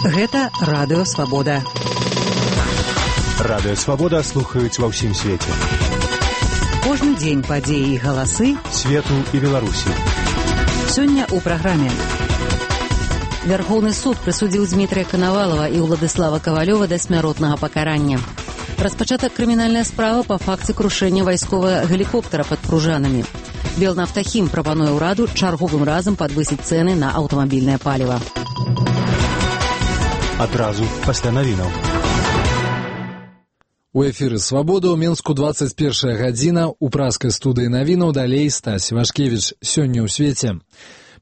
Гэта Радыё Свабода. Радыё Свабода слухаюць ва ўсім свеце. Кожны дзень падзеі і галасы свету і Беларусі. Сёння ў праграме. Вярхоўны суд прысудзіў Дмітрия Коновалова і Уладыслава Ковалёва да смяротнага пакарання. Распачата крымінальная справа па факце крушэння вайсковага гелікоптера пад Пружанамі. Белнафтахім прапануе ўраду чарговым разам падвысіць цэны на аўтамабільнае паліва. Адразу пасля навінаў. У эфіры «Свабода» ў Менску 21 гадзіна. У праскай студыі навінаў далей Стась Вашкевіч. Сёння ў свеце.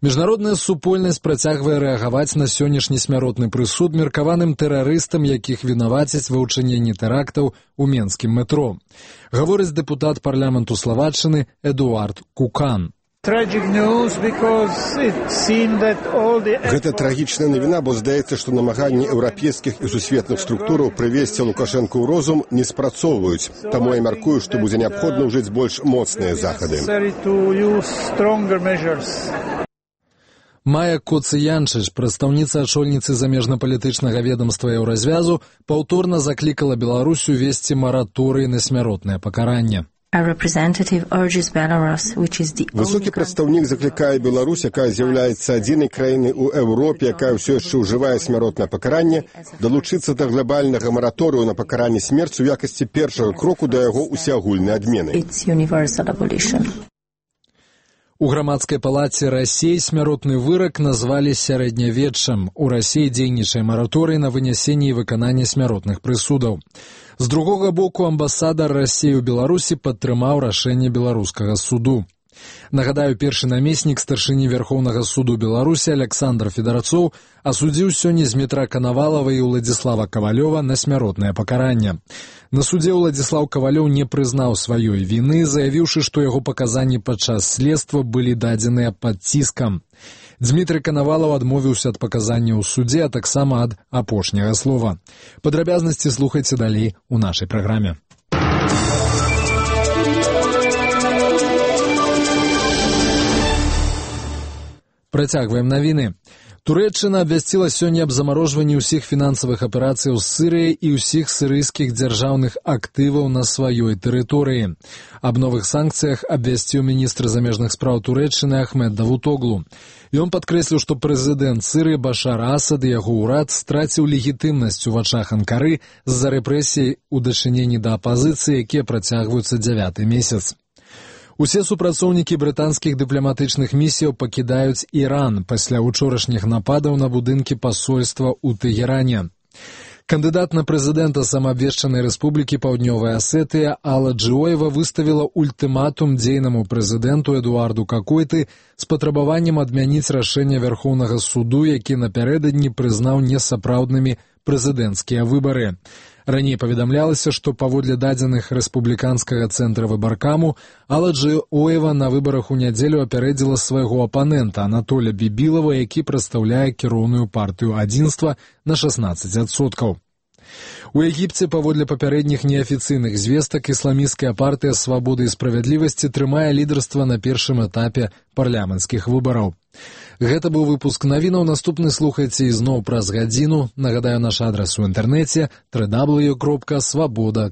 Міжнародная супольнасць працягвае рэагаваць на сённяшні смяротны прысуд меркаваным тэрарыстам, якіх вінавацяць ва ўчыненні тэрактаў у менскім метро. Гаворыць дэпутат парламенту Славаччыны Эдуард Кукан. Гэта трагічная навіна, бо здаецца, што намаганні еўрапейскіх і сусветных структураў прывесці Лукашэнку ў розум не спрацоўваюць. Таму я мяркую, што будзе неабходна ўжыць больш моцныя захады. Майя Коцыянчыч, прадстаўніца ачольніцы замежнапалітычнага ведамства Еўразвязу, паўторна заклікала Беларусь увесці мараторый на смяротнае пакаранне. Высокі прадстаўнік заклікае Беларусь, якая з'яўляецца адзінай краінай у Еўропе, якая ўсё яшчэ ўжывае смяротнае пакаранне, далучыцца да глобальнага мараторыю на пакаранне смерцю ў якасці першага кроку да яго усеагульнай адмены. У грамадскай палаце Расіі смяротны вырак назвалі сярэднявеччам. У Расіі дзейнічае мараторый на вынясенне і выкананне смяротных прысудаў. З другога боку, амбасадар Расіі ў Беларусі падтрымаў рашэнне беларускага суду. Нагадаю, першы намеснік старшыні Верхоўнага суду Беларусі Александр Федарцоў асудзіў сёння Дмітра Коновалова і Уладзіслава Ковалёва на смяротнае пакаранне. На судзе Уладзіслаў Ковалёў не прызнаў сваёй віны, заявіўшы, што яго паказанні падчас следства былі дадзеныя пад ціскам. Дмітрий Коновалов адмовіўся ад паказання ў судзе, а таксама ад апошняга слова. Падрабязнасці слухайце далей у нашай праграме. Працягваем навіны. Турэччына абвясціла сёння аб замарожванні ўсіх фінансавых аперацыяў з Сірыяй і ўсіх сірыйскіх дзяржаўных актываў на сваёй тэрыторыі. Аб новых санкцыях абвясціў міністр замежных спраў Турэччыны Ахмед Давутоглу. Ён падкрэсліў, што прэзідэнт Сірыі Башар Асад і яго ўрад страціў легітымнасць у вачах Анкары з-за рэпрэсій у дачыненні да апазіцыі, якія працягваюцца 9-й месяц. Усе супрацоўнікі брытанскіх дыпламатычных місіяў пакідаюць Іран пасля учорашніх нападаў на будынкі пасольства ў Тэгеране. Кандыдат на прэзідэнта самаабвешчанай рэспублікі Паўднёвая Асетыя Алла Джиоева выставіла ультыматум дзейнаму прэзідэнту Эдуарду Какойты з патрабаваннем адмяніць рашэнне Вярхоўнага суду, які напярэдадні прызнаў несапраўднымі прэзідэнцкія выбары. Раней паведамлялася, што паводле дадзеных рэспубліканскага цэнтра выбаркаму Алла Джиоева на выбарах у нядзелю апярэдзіла свайго апанента Анатоля Бібілава, які прадстаўляе кіроўную партыю адзінства на 16%. У Егіпце, паводле папярэдніх неафіцыйных звестак, ісламісцкая партыя «Свабода і справядлівасці» трымае лідарства на першым этапе парламенцкіх выбараў. Гэта быў выпуск навінаў. Наступны слухайце ізноў праз гадзіну. Нагадаю, наш адрас у інтэрнэце www.swaboda.org.